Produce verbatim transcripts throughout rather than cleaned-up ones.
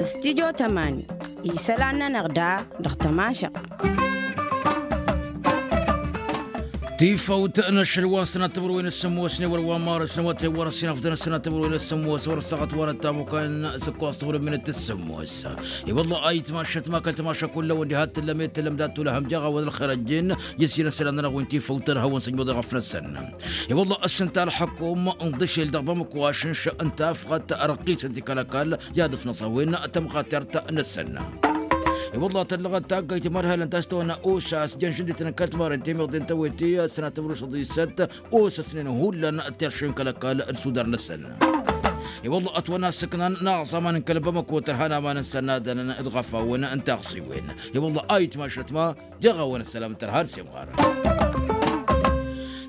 Studio tămani. Isălan-nănăɣ da dăɣ-tămašăɣt. Tifăwt n-ašăl wa n-sănat timǝrwen s-sǝmmos n-ewăr wa n-marăs n-awătay wa n-ăssinafdăn s-sănat timǝrwen s-sǝmmos wăr-ăssaɣăt wa n-ăttamukan s-ǝkkoẓ timǝrwen s-sǝmmos. I-wălla ayǝtmašăt ma kăl-tămašăk kull-awăn diha t-tǝllăm i-tǝllăm dat-tulăhăm jaɣ-awăn ălxer ăjjin. Issin ăsălan-nănăɣ wi n-tifăwt tărha wa n-săjmăḍ i-ɣăf-năsăn. I-wălla ăssǝnta ălxăkum n-ḍǝšel dăɣ-bamăkwašǝnš n-tafɣăt răqqisăn tikăl-ăkall i-ad-ăsnăẓ a-wen tămxatert-năsăn. I-wălla tăllăɣăt taggayt i-mad-hălăn ta s-tăwănna osas jăn žǝndităn n-kăl-timaren temiḍen tăwete ăssănat timrusăḍisăt osăsnen hullan teršen kăl-ăkall d-sudar-năsăn. I-wălla ătwănna ăssăknan n-aẓaman n-kăl-bamăko tărhan aman n-sănnadăn d-ɣăfawăn n-taɣsiwen. I-wălla ayǝtmašăt ma jaɣ-awăn ăssălam n-tărha d-semɣar.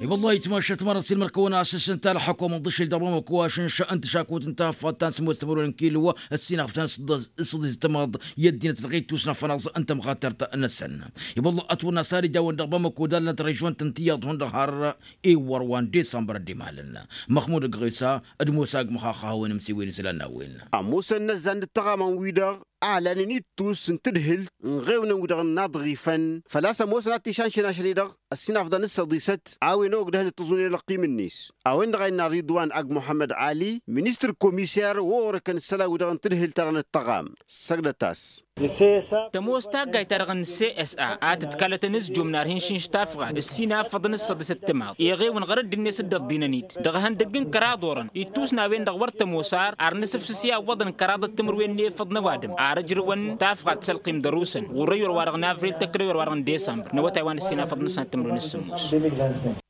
I-wălla ayǝtmašăt ma răssin mărkăwăn asǝs n-ta ălxăkom n-ḍǝšel dăɣ-bamăko ašǝnš n-tăšakut n-tafăt ta n-sǝmmos timǝrwen n-kilo ăssinaftan s-ḍǝẓ-s tămaḍ i-ăddinăt dăɣ-ittus n-afănaẓ n-tămɣatert-năsăn. I-wălla ătwănna s-ad-ija a-wen dăɣ-bamăko d-allănt režion-tăn tiyyăḍ hundăɣ har iwwăr wa n-disămbăr ăddimalăn. Măxmud ăgg ɣisa d-musa ăgg măxaxăhăwen ămsiwen isălan n-a-wen. Ămoosăn inăzzan d-ăttăɣamăn-wi-dăɣ ăhalăn-in ittus n-tadhǝlt n-iɣewnăn-wi-dăɣ n-inaḍɣifăn făl-a-s ămoosăn ad-t-išănšăn ašăl-i-dăɣ ăssinafḍăn s-săḍisăt a-wen ogdăhăn d-tăẓunen ălqim-net. A-wen-dăɣ a innă ridwan ag muḥămmăd ali ministăr komiser wa orăkăn isălan-wi-dăɣ n-tadhǝlt-ta-dăɣ n-ăttăɣam. Săjdăt-as. Tămoos taggayt-ta-dăɣ n-csa a tǝtkalătăn s-jumnar hi-n-išǝnš tafɣat ǝssin afăḍăn s-săḍisăt timaḍ iɣewnăn ɣur-ăddinnet dd-ăḍḍinăn-dd dăɣ-ihăndăgg n-kăraḍ orăn ittus n-a-wen-dăɣ wăr tămoos ar n-asǝfsǝs i-awwăḍăn kăraḍăt timǝrwen n-efăḍ n-ăwadǝm ar ǝjrǝwăn tafɣat s-ălqim d-ărusăn ɣur-ăyyor-wa-dăɣ n-avril tăkk d-ăyyor-wa-dăɣ n-disămbăr n-awătay wa n-ăssinafăḍ n-ăssinat timǝrwen s-sǝmmos.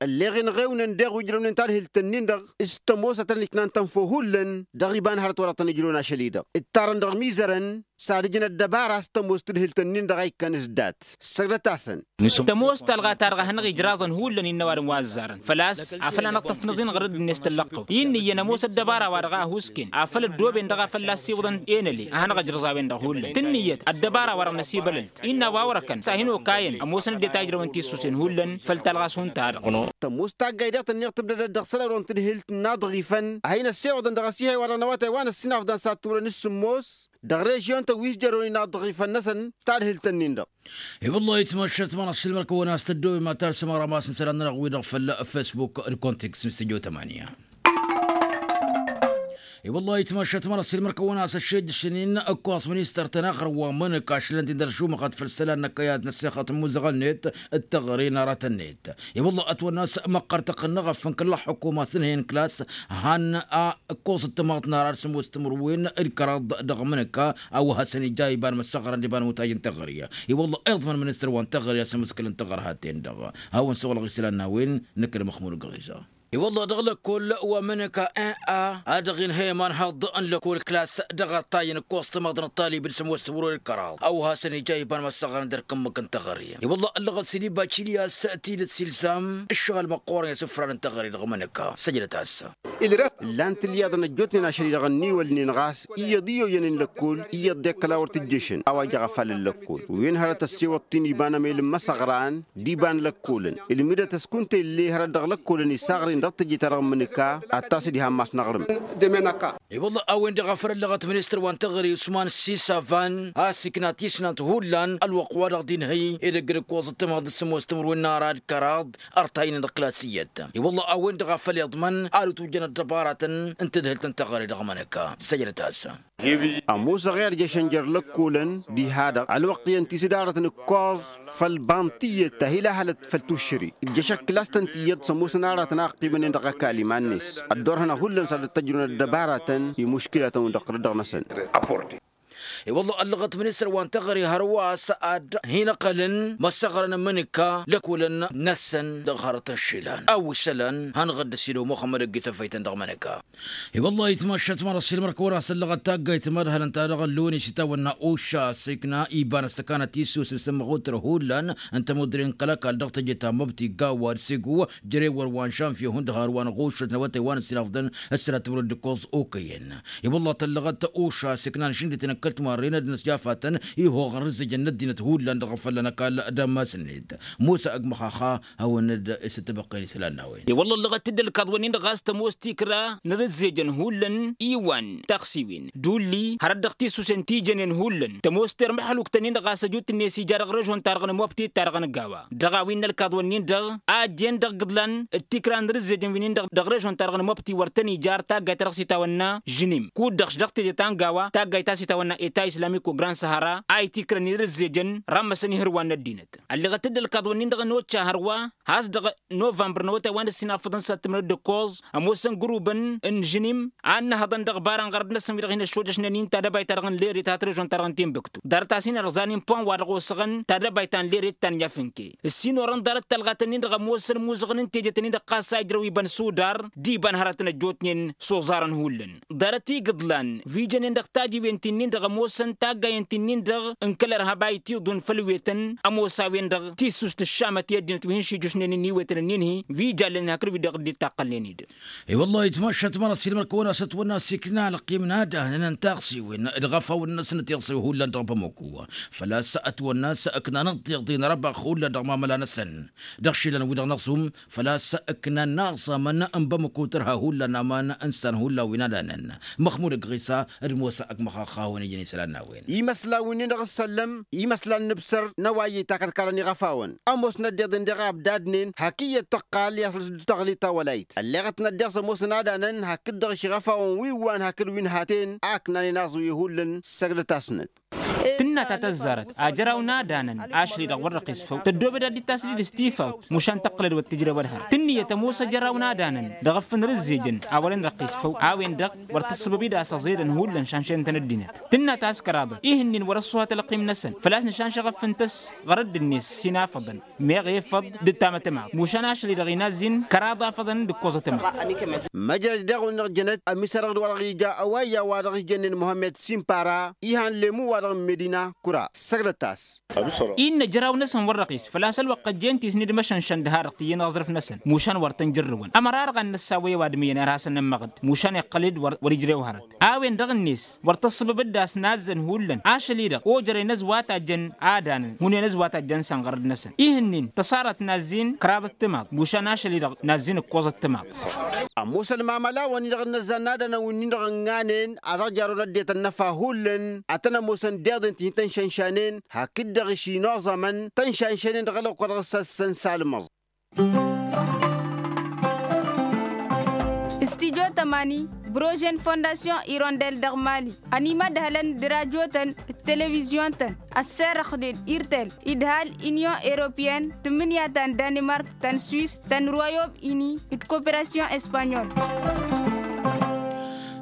Ălleɣ-in ɣewnăn deɣ wi ǝjrăwnen tadhǝlt-ǝnnin-dăɣ s-tămoos a tăn-iknan tănfo hullan dăɣ-iba n-hărăt wa dăɣ-tăn-ijrăwăn ašăl-i-dăɣ ǝttarăn dăɣ-imizărăn s-ad-ǝjǝn ăddăbara s-tămoos tadhǝlt-ǝnnin-dăɣ a ikkăn s-dat. Săjdăt-asăn. Tămoos talɣa-ta-dăɣ a hanăɣ-ijraẓăn hullan innă ăwadǝm wa ăzzarăn făl-a-s afăl anăɣ-tăfnăẓ-in ɣărăd-net tăllăqqăw-i n-iyyăn ămoos ăddăbara-wa-dăɣ a ăhuusken afăl ăddooben dăɣ-a fălla-s iwǝḍăn enăle a hanăɣ-ǝjrǝẓ a-wen-dăɣ hullan tǝnnǝyăt ăddăbara-wa-dăɣ n-asibălălt innă a-wa wărăkăn s-ad-hin-okayăn ămoosăn ăddinăt a ǝjrăwăn tissusen hullan făll-talɣa s-hunta-dăɣ. Tămoos taggayt-dăɣ tǝnneɣ tǝbdădăt dăɣ-isălan-wi-dăɣ n-tadhǝlt n-inaḍɣifăn a hin-ăssewăḍăn dăɣ-asihăy-wa-dăɣ n-awătay wa n-ăssinafḍan s-ad-turăn s-sǝmmos dăɣ-režion-tăn wi s-jărrăwăn inaḍɣifăn-năsăn tadhǝlt-ǝnnin-dăɣ. I-wăllah ayǝtmašat ma n-ăssiilmăr-kăwăn a-s tăddoobem ad-tarsǝm ăramas n-isălan-nănăɣ-wi-dăɣ făll-facebook d-contex n-studio tămania. I-wăllah ayǝtmašat ma n-ăssiilmăr-kăwăn a-s ăššejjăšăn-in ǝkkoẓ ministăr-tăn axăr wa n-imǝnǝk ašălăn-t-in dăr-ašumăɣăt făll-isălan n-ăkkăyad n-ăssexăt n-imuzăɣăn-net d-teɣăre n-aratăn-net. I-wăllah ătwănna a-s măqqăr tăqqǝnnăɣ ăffăn kăl-ăxxukuma s-ǝnhăyăn klas han a ǝkkoẓ d-tamaḍt n-ara d-sămoos timǝrwen d-kăraḍ dăɣ-imǝnǝka a-wa hasăn-ija iba n-imăssăɣrăn d-iba n-iwǝtaj n-teɣăre. I-wăllah iyyăḍ măn ministăr wa n-teɣăre a-s ămǝskǝl n-teɣăre hat-en-dăɣ. Hawăn-săɣlăɣ isălan n-a-wen nǝkk d-măxmud găɣ-iza. I-wăllah dăɣ-lăkkol wa n-imǝnǝka n-a a dăɣ-inhăy iman haḍ n-lăkkol klas dăɣ-ăṭṭay n-ǝkkoẓ tamaḍt n-ăṭṭalib d-sămoos timǝrwen d-kăraḍ a-wa hasăn-ija iba n-imăssăɣrăn d-ărkǝmmǝk n-teɣăre. I-wăllah ăllăɣăt s-dd-iba cilyas tidǝt s-ilzam ǝššăɣǝl măqqoorăn i-asǝfran n-teɣăre dăɣ-imǝnǝka. Săjdăt-as. Ǝllan-t ǝlyaḍăn ăjjootnen ašăl-i-dăɣ ănniwălnen ɣas iyyăḍ i-oyyănen lăkkol iyyăḍ d-ekkăla wăr tǝjješăn a-wa jăɣ afal n-lăkkol wen hărăt ăssewăḍ-t-in iba n-emel n-imăsăɣran d-iba n-lăkkolăn ǝlmǝdăt ăskunt-e ǝlle hărăt dăɣ-lăkkolăn isaɣren dăɣ-teje-ta-dăɣ n-imǝnǝka ad-tasǝd iha n-imass n-aɣrǝm. I-wălla a-wen-dăɣ a făl ăllăɣăt ministăr wa n-teɣăre usman s-isavan a-s ikna tisnant hullan ălwăqq wa dăɣ-dinhăy edăgg n-ǝkkoẓăt tămhăḍ d-sămoos timǝrwen n-ara d-kăraḍ ărtaynen dăɣ-klas iyyăt. I-wălla a-wen-dăɣ a făl iḍmăn ad-utujjăn ăddăbaratăn n-tadhǝlt n-teɣăre dăɣ-imǝnǝka. Săjdăt-as. Ămoosăɣ i-ad-jăšăn jer-lăkkolăn diha-dăɣ ălwăqq iyyăn ti s-dd-arăt n-ǝkkoẓ făll-banḍt tiyyăt ta hi-lahălăt făll-tuššăre ǝjjăšăt klas-tăn tiyyăt s-ămoosăn aratăn a ăqqimănen dăɣ-ăkall iman-net. Ăddoorhăn hullan s-ad-dd-tăjrǝwăn ăddăbaratăn i-muškilatăn-wi-dăɣ tărăt dăɣ-năsăn. I-wălla ăllăɣăt ministăr wa n-teɣăre hărwa a-s ad-hin-ăqqălăn măssăɣrăn n-imǝnǝka lăkkolăn-năsăn dăɣ-hărăt n-išilan a-wa isălan hanăɣ-dd-ăsidăw muxămmăd ăgg-i tăfăytăn dăɣ-imǝnǝka. I-wălla ayǝtmašat ma n-ăssiilmăr-kăwăn a-s ăllăɣăt taggayt mad-hălăn-ta-dăɣ ăllonis itawănna oša s-ikna iba n-ăssăkanăt issus d-sǝmmăɣ wăr-tărăh hullan n-tămuddre n-kăl-ăkall dăɣ-teje ta n-măbti gawad s-ego jere wăr wa n-žănvye hundăɣ har wa n-ăɣušăt n-awătay wa n-ăssinafḍăn ăssănat timǝrwen d-ǝkkoẓ okăyăn. I-wălla tăllăɣăt oša s-ikna n-ašǝndităn n-kăl Tumarren ad-năsjafatăn ihoɣăn rǝzzejăn n-ăddinăt hullan dăɣ-fălla n-ăkall d-ammas-net. Musa ăgg măxaxa hawăn-dd-isǝttăbăqqen isălan n-a-wen. I-wălla ǝllăɣăt-dd ălkaḍ-wǝnnin-dăɣ a-s tămoos tikra n-rǝzzejăn hullan iwan taxsiwen d-ulli hărăt dăɣ-tisusen ti jănen hullan tămoos termăxăluk-tăn-in-dăɣ a-s ăjut-net ija dăɣ-režon-ta-dăɣ n-mobti ta-dăɣ n-gawa dăɣ-a-wen n-ălkaḍ-wǝnnin-dăɣ a ăjjeen dăɣ-gǝḍlan d-tikra n-rǝzzejăn wi-nin-dăɣ dăɣ-režon-ta-dăɣ n-mobti wăr tăn-ija ar taggayt ta dăɣ-s itawănna žnim kud-dăɣ dăɣ-teje ta n-gawa taggayt ta s-itawănna eta islamiko grand sahara a itikrăn irǝzzejăn rammăsăn ihǝrwan n-ăddinăt. Ălleɣăt-dd ălkaḍ-wǝnnin-dăɣ n-occa hărwa has-dăɣ novămbăr n-awătay wa n-ǝssin afăḍăn s-ad-tǝmrăd d-ǝkkoẓ ămoosăn gǝrubăn n-žnim a ǝnnăhăḍăn dăɣ-ibarăn ɣărăt-năsăn wi-dăɣ hin-ăššojăšnen-in tadăbayt-ta-dăɣ n-lered ta t-režon-ta-dăɣ n-tinbǝktu ḍarăt-as-in ărẓan inpon wa dăɣ-osăɣăn tadăbayt ta n-lered ta n-yafǝnke ǝssin orăn ḍarăt talɣat-ǝnnin-dăɣ ămoosăn imuzăɣăn n-tejet-ǝnnin-dăɣ ɣas a ijrăw iba n-sudar d-iba n-hărăt n-ăjjootnen s-oẓarăn hullan. Ḍarăt igǝḍlan wi jănen dăɣ-tajiwen ti-nin-dăɣ ămoosăn taggayen ti-nin-dăɣ n-kăl-ărhăb a itiḍun făll-wetăn ămoos a-wen-dăɣ tissust ǝššamăt i-ăddinăt wi hin-šijjušnen-in iwetăn-ǝnnin-hi wi jallen hakd wi-dăɣ dd-ittaqqălnen-dd. I-wăllah itmašat ma n-ăssiilmăr-kăwăn-as ătwănna s-ikna ălqim n-ad-ahnăn n-taɣsiwen d-iɣăfawăn-năsnăt iɣsăw hullan dăɣ-bamăku făl-a-s ătwănna s-ăknanăt tiḍin răbax hullan dăɣ-mamăla-năsăn dăɣ-išilan-wi-dăɣ n-aẓum. Făl-a-s ǝknan n-aẓamăn n-bamăku tărha hullan aman n-isan hullan wi n-ad-ahnăn. Măxmud ăgg ɣisa d-mosa ăgg măxaxawăn ijăn isălan n-a-wen. Imăslan wi-nin-dăɣ ǝssăllăm imăslan n-ǝbsăr n-ăwayy takăd karăn iɣăfawăn ămoosnăt deḍen deɣ abdadnen hak iyyăt tăqqal i-asăl s-dd-tăɣli tawălayt ălleɣătnăt deɣ s-ămoosăn ad-ahnăn hakd-dăɣ išiɣăfawăn wi n-wan hakd wi n-haten a ǝknanen aẓwi hullan. Săgdăt-asnăt. Tǝnna ta tăzzarăt ajăraw n-ad-ahnăn ašăl-i-dăɣ wăr răqqis făw tăddoobăd ad-dd-tasdid s-tifawt mušan tăqqǝlăd wăr tǝjrewăd hărăt tǝnnǝyăt ămoos ajăraw n-ad-ahnăn dăɣ-ǝffǝn rǝzzejăn a wăren răqqis făw a-wen-dăɣ wăr tăssăbăb-dd a-s ăẓedăn hullan šanšen-tăn ăddinăt. Tǝnna ta s-kăraḍăt ih'-ǝnnin wăr-ăṣṣuhat ălqim-năsăn făl-a-s nǝšanšăɣ ăffǝntăs ɣărădd-net s-inafăḍăn meɣ efăḍ d-tamătămaɣt mušan ašăl-i-dăɣ inazzin kăraḍ afăḍăn d-ǝkkoẓătămaɣt. Măjrăd-i-dăɣ wăn-dăɣ jănăt ămisărăɣ-dd wa dăɣ-ija ăwayya wa dăɣ-s jănnen muhămmed simpara ihan lemu wa dăɣ-medina kura săgdăt-as. Innă jăraw-năsăn wăr-răɣis făl-a-s ălwăqq ăjjeen tisni d-măšănšăn d-ha-dăɣ tǝyyăn aẓrǝf-năsăn mušan wăr tăn-jărrǝwăn ămăra-dăɣ ad-năssawăy ăwadǝm iyyăn ar hasăn-nămmăɣ-dd mušan iqqăl-dd wăr ijrew hărăt. A-wen-dăɣ-net wăr tăssăbăb-dd a-s nazzăn hullan ašăl-i-dăɣ ojărăy n-ăzwat a jăn ad-anăn hunen ăzwat a jăn s-anɣărăd-năsăn ih'-ǝnnin tăṣarăt nazzin kăraḍăt timaḍ mušan ašăl-i-dăɣ nazzin ǝkkoẓăt timaḍ. Ămoosăn mamăla-wăn-i-dăɣ ǝnnăzzan n-ad-anăn wi-nin-dăɣ ǝnɣanen a dăɣ-jarun ăddinăt ănnăfa hullan ad-tăn-ămoosăn deḍen ti hin-tăn-šanšanen hakd-dăɣ išinoẓămăn tăn-šanšanen dăɣ-ălwăqq wa dăɣ-s ăssăn s-almăẓ. Studyo tămani brožen fondasyon irondel dăɣ-mali ănimădhălăn d-rajotăn d-televizyon-tăn ăsserăxnen irtel idhal inyon europeyăn tǝmmǝnǝya ta n-danimark ta n-swis ta n-royom ini d-koperasyon espanyol.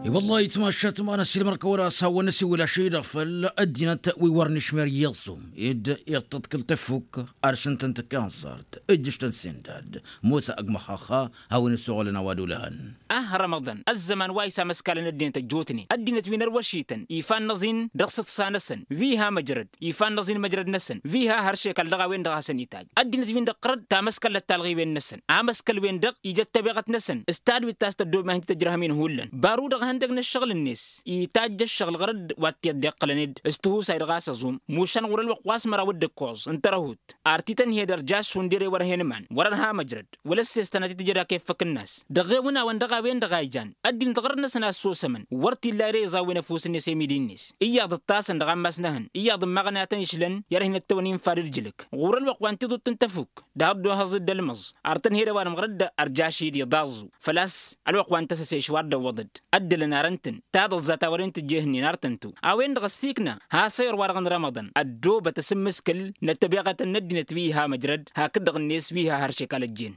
I-wăllah itmašat ma n-ăssiilmăr-kăwăn-as hawăn-năsiwǝl ašăl-i-dăɣ făll-ăddinăt wi wăr nǝšmer iyyăḍ s-om ed iṭṭăḍkǝl tafuk ad-săn-tăn-tǝkka ănẓart ǝjjǝš-tăn sendad. Mosa ăgg măxaxa hawăn-isuɣǝlăn a-wa d-olăhăn. Ah rămăḍan ăzzăman wa isamăskalăn ăddinăt ăjjootnen ăddinăt wi n-ărwăšităn ifan n-aẓin dăɣ-s iḍsa-năsăn wi iha măjrăd ifan n-aẓin măjrăd-năsăn wi iha hăršekal dăɣ-a-wen-dăɣ a hasăn-itajj ăddinăt-win-dăɣ ɣărăd tamăskăllăt talɣiwen-năsăn. Amăskăl-wen-dăɣ ija d-tabeɣăt-năsăn s-tadwit ta s-tăddob ma hin-tǝtǝjrăhăm-in hullan baru-dăɣ ihăndăg n-ǝššăɣǝl-net itajj ăššăɣǝl ɣărăd wa t-iyyăt d-iqqălăn-dd s-tihusay dăɣ-a-s ăẓum mušan ɣur-ălwăqq wa s-măraw d-ǝkkoẓ n-tărăhut. Ar t-tăn-hi-dd ărjaš šund ere wăr hen iman wăr-ărha măjrăd wăla ăssestăn ad-t-tǝjăd akeffăk-năs dăɣ-ɣewǝnawăn dăɣ-a-wen-dăɣ a ijan ăddinăt ɣărăd-năsăn a ăssosămăn wăr t-illa ere iẓawwen ăfuss-net i-midi-net. Iyyăḍ ǝṭṭasăn dăɣ-ammas n-ehăn iyyăḍ ǝmmaɣăn a tăn-išlăn i-ad-hin-ăttăwăn infa d-ǝjlǝk ɣur-ălwăqq wa n-tiḍuḍt n-tafuk. Dăɣ-ăddohăẓ-dd ălmăẓ ar tăn-hi-dd ăwadǝm ɣărăd ărjaš-i-dd iḍaẓẓu făl-a-s ălwăqq wa n-tăsăse išwar d-ăwwăḍăd ăddălăn ar ǝntǝn taḍăẓẓa ta wăren tǝjjehnen ar tăn-tǝw. A-wen-dăɣ ăssiikna has-ayăr-wa-dăɣ n-rămăḍăn ăddoobăt asǝmmǝskǝl n-ăttăbeɣătăn n-ăddinăt wi iha măjrăd hakd-dăɣ-net wi iha hăršekal ăjjeen.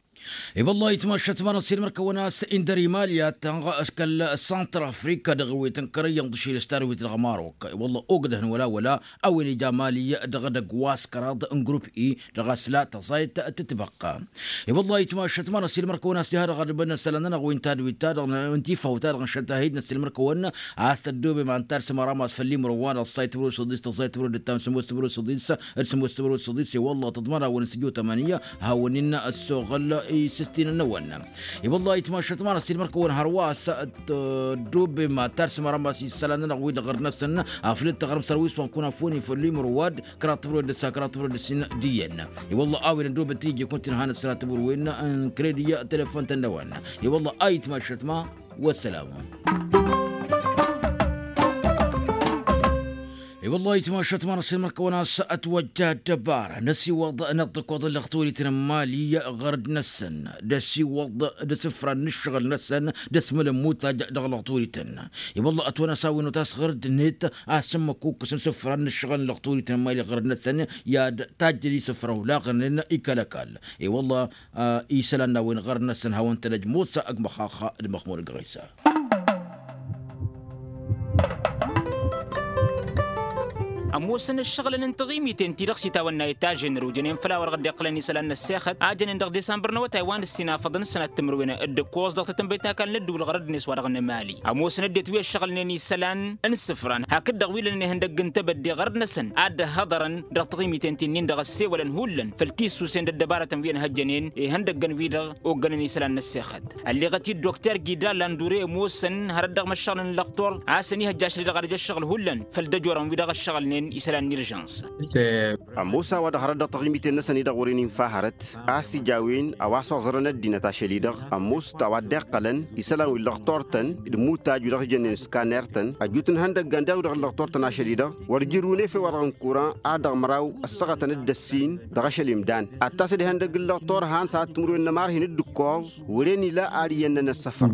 I-wăllah itmašat ma n-ăssiilmăr-kăwăn-as indăr imaliyat kăl-săntrafrika dăɣ-wi tǝnkărăyyăn d-ašil s-tadwit dăɣ-marok. I-wăllah ogdăhăn wăla wăla a-wen ija mali dăɣ-edăgg wa s-kăraḍ n-grup i dăɣ-asla tăẓayt tǝtbăqqa. I-wăllah itmašat ma n-ăssiilmăr-kăwăn-as diha dăɣ-ad-băn isălan-nănăɣ wi n-tadwit-ta-dăɣ n-tifawt-ta-dăɣ n-šăl tahid n-ăssiilmăr-kăwăn. A-s tăddoobem antar s-măramas făll-imrǝw-wa-dăɣ ăssayt tǝmrǝw s-ăḍis tăẓẓayt tǝmrǝw d-ǝttam sǝmmos tǝmrǝw s-ăḍis. D-sǝmmos tǝmrǝw s-ăḍis i-wălla tăḍmărawăn s-tǝjjo tămănǝya hawăn-in-ăssoɣăl. isǝstinăn-năwăn. I-wălla-hi ăytmašat ma n-ăssiilmăr-kăwăn hărwa a-s ăddobem ad-tarsǝm arămas isălan-nănăɣ-wi-dăɣ ɣărd-năsăn aflǝd taɣrǝm sărwis wa n-kunafoni făll-imrǝwad kăraḍ timǝrwen d-ǝssa kăraḍ timǝrwen d-ǝssin d-iyyăn. I-wălla a-wen ăddobet tijje kunta inhan ǝssănat timǝrwen n-kredi telefon-tăn-năwăn. I-wălla a ăytmašat ma. Wăssalama. I-wălla-hi ăytmašat ma n-ăssiilmăr-kăwăn a-s ătwăjja ăddăbara n-ăsiwăḍ n-ăḍḍǝkkoḍ n-lăxturităn n-imali ɣărd-năsăn d-ăsiwăḍ d-asǝfra n-ǝššăɣǝl-năsăn d-asmălăn mutaj dăɣ-lăxturităn. I-wălla ătwănna s-a-wen otas ɣărd-net a-s ǝmmǝk ukkǝs n-asǝfra n-ǝššăɣǝl n-lăxturităn n-imali ɣărd-năsăn i-ad-tajjăn isǝfra olaɣnen ikăl-ăkall. I-wălla isălan n-a-wen ɣărd-năsăn hawăn-tăn ăjmosa ăgg măxaxa d-măxmur ăgg ɣisa. Ămoosăn ǝššăɣǝlăn n-taɣimiten-ti-dăɣ s-itawănna i-tažen rǝwjănen făll-a-wa dăɣ-dd-iqqălăn isălan n-ăssexăt a jănen dăɣ-disămbăr n-awătay wa n-ǝssin afăḍăn ǝssănat timǝrwen d-ǝkkoẓ dăɣ-tatănbăyt n-akall n-ăddǝwǝl ɣărăd-net wa dăɣ-nǝmali. Ămoosăn ăddinăt wi ăššăɣǝlnen isălan n-isǝfran hakd-dăɣ wi lănen ihăndăgg n-tebădde ɣărăd-năsăn ad-dd-ăhhăḍărăn dăɣ-taɣimiten ti-nin-dăɣ ăssewălăn hullan făll-tissusen d-ăddăbarătăn wi ănhăjjănen ihăndăggăn-wi-dăɣ oggănen isălan n-ăssexăt. Ălleɣăt-dd dokter gidal andure ămoosăn hărăt dăɣ-măššăɣǝl n-lăqtor a-s ănihăjja ašăl-i-dăɣ ad-ija ăššăɣǝl hullan făll-dăjorăn-wi-dăɣ ăššăɣǝlnen isălan n-irjăns. Ămoos a-wa dăɣ-hărăt dăɣ-taɣimiten-năsăn-i-dăɣ wăren infa hărăt a-s ija a-wen a-wa s-oẓărăn ăddinăt ašăl-i-dăɣ ămoos a-wa dd-iqqălăn isălan wi n-lăqtor-tăn d-imutaj wi dăɣ-s jănnen skaner-tăn ăjut n-ihăndăggan daɣ wi dăɣ-lăqtor-tăn ašăl-i-dăɣ wăr jǝrrǝwăn efew wa dăɣ-n kuran ad-dăɣ-măraw ăssaɣătăn d-ăssin dăɣ-ašăl imdan ad-tasăd ihăndăgg n-lăqtor han s-ad-timǝrwen n-ămarhin d-ǝkkoẓ. Wăren ila ar iyyăn n-ăssăfăr.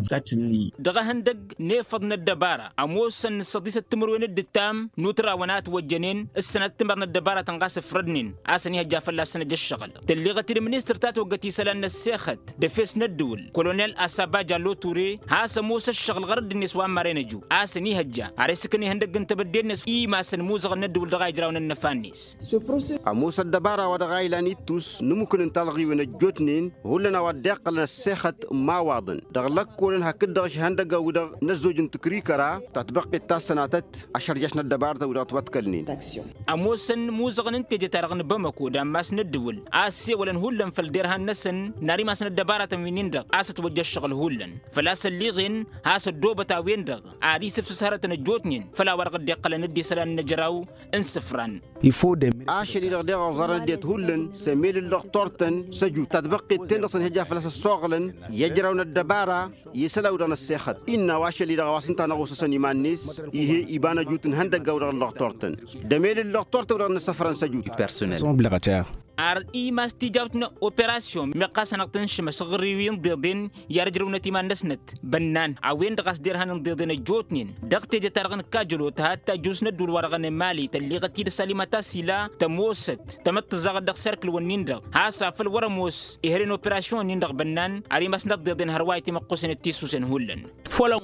Dăɣ-ehăndăgg n-efăḍ n-ăddăbara ămoosăn n-ǝssăḍisăt timǝrwen d-ǝttam n-utrawăn a ătwăjjănen ǝssănăt timăr n-ăddăbaratăn ɣas ǝfrădnen a-s ănihăjja fălla-săn ăj ăššăɣǝl. Tălleɣăt-dd ministăr ta toggăt isălan n-ăssexăt d-efes n-ăddǝwǝl kolonel asaba jallo ture has-ămoos ăššăɣǝl ɣărădd-net wa n-maren ăju a-s ănihăjja ar esǝkǝn ihăndăgg n-tebădde-net imasăn imuzăɣăn n-ăddǝwǝl dăɣ-a ijrawăn ănnăfa-net. Ămoos ăddăbara wa dăɣ-a ilan ittus n-imukǝn n-talɣiwen ăjjootnen hullan a-wa dd-iqqălăn ăssexăt n-imawaḍăn dăɣ-lăkkolăn hakd-dăɣ ăšihăndăggan-wi-dăɣ n-ăzzoj n-tǝkrikăra tatbăqqet ta s-sănatăt ašărjaš n-ăddăbarătăn-wi-dăɣ ătwăḍkălnen. Ămoosăn imuzăɣăn n-teje-ta-dăɣ n-bamăko d-ammas n-ăddǝwǝl a ăssewălăn hullan făll-derhan-năsăn n-ar imas n-ăddăbaratăn wi-nin-dăɣ a-s ătwăjja ăššăɣǝl hullan făl-a-s ălliɣen has-ăddoobăt a-wen-dăɣ ar isǝfsǝs hărătăn ăjjootnen făll-a-wa dăɣ-dd-iqqălăn d-isălan n-ejăraw n-isǝfran. Ašăl-i-dăɣ deɣ oẓărăn ăddinăt hullan s-emel n-lăqtor-tăn s-ăjut tatbăqqet-ten-dăɣ s-ănihăjja fălla-s ăssoɣlăn i-ejăraw n-ăddăbara i-isălan-wi-dăɣ n-ăssexăt. Innă a-wa ašăl-i-dăɣ a-wa s-ǝnta n-ăɣosăsăn iman-net ih'-e iba n-ăjut n-ihăndăgga-wi-dăɣ n-lăqtor-tăn d-emel n-lăqtor-tăn-wi-dăɣ n-isǝfran s-ăjut. Ar imas tijawt n-operasyon meɣ ɣas hanăɣ-tăn-šǝmăs ɣǝr-i wi n-iḍeḍen i-ad-ǝjrăwnăt iman-năsnăt bănnan a-wen-dăɣ a-s derhan n-iḍeḍen ăjjootnen dăɣ-teje-ta-dăɣ n-kajălot hatta ăjus n-ădduul-wa-dăɣ n-emali tălliɣăt-dd sălimăt asila tămoosăt tamăttǝẓẓaɣăt dăɣ-serkǝl-wǝnnin-dăɣ has-afăl wăr-ămoos ihăl n-operasyon-nin-dăɣ bănnan ar imas n-ăḍḍeḍen hărwa itimăqqusăn d-tissusen hullan.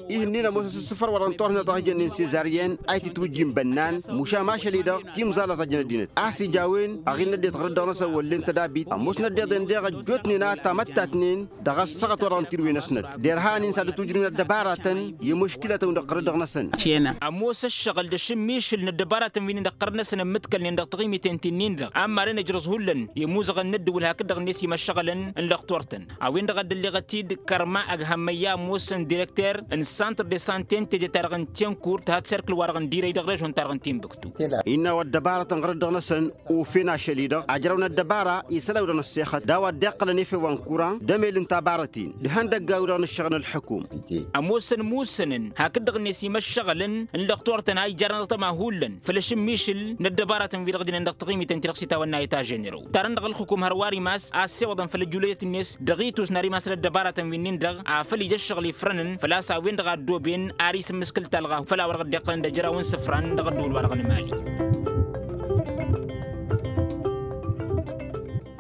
Ih'-ǝnnin ămoos asǝssǝfăr wa dăɣ-n torhǝnăt dăɣ-hijănnen sezaryen a itǝtwǝjjin bănnan mušam ašăl-i-dăɣ timẓalăt a jăn ăddinăt a-s ija a-wen aɣil n-ăddinăt ɣărăt dăɣ-năsăn wăllen tădabit ămoos n-ăddiḍen deɣ ăjjootnen a tamăttatnen dăɣ-ăssaɣăt wa dăɣ-n tirǝwen-năsnăt derhan-in s-ad-ătwǝjrǝwăn ăddăbaratăn i-muškǝlătăn dăɣ-ɣărăt dăɣ-năsăn. Ămoos ăššăɣǝl d-ašǝmmišǝl n-ăddăbaratăn wi-nin-dăɣ ɣărăt-năsăn ǝmmǝtkălnen dăɣ-taɣimiten ti-nin-dăɣ a ămmaren ăjrăẓ hullan i-imuzăɣăn n-ăddǝwǝl hakd-dăɣ-net imăššăɣălăn n-lăqtor-tăn. A-wen-dăɣ a dd-ălleɣăt-dd kărma ăghhămmăyya ămoosăn direkter n-santr de sante n-teje-ta-dăɣ n-tinkurt hat serkǝl-wa-dăɣ n-dirăy dăɣ-režon-ta-dăɣ n-timbuktu. Innă a-wa ăddăbaratăn ɣărăt dăɣ-năsăn ofen ašăl-i-dăɣ ajrăwăn ăddăbara isălan-wi-dăɣ n-ăssexăt d-a-wa dd-iqqălăn efew wa n-kuran d-emel n-tabarăt-in d-ihăndăggan-wi-dăɣ n-ǝššăɣǝl n-ălḥǝkum. Ămoosăn musǝnăn hakd-dăɣ-net imăššăɣălăn n-lăqtor-tăn a ijărăn aḍăma hullan făll-ašǝmmišǝl n-ăddăbaratăn wi-dăɣ jănen dăɣ-taɣimiten ti-dăɣ s-itawănna eta ženero tarăn dăɣ-ălxǝkum hărwa ar imas a ăssewăḍăn făll-ăjjulăyăt-net dăɣ-itus n-ar imas n-ăddăbaratăn wi-nin-dăɣ afăl ija ăššăɣǝl ifrănăn făl-a-s a-wen-dăɣ a ăddooben ar isǝmmǝskǝl talɣa făll-a-wa dăɣ-dd-iqqălăn d-ejăraw n-isǝfran dăɣ-ăddǝwǝl-wa-dăɣ n-emali.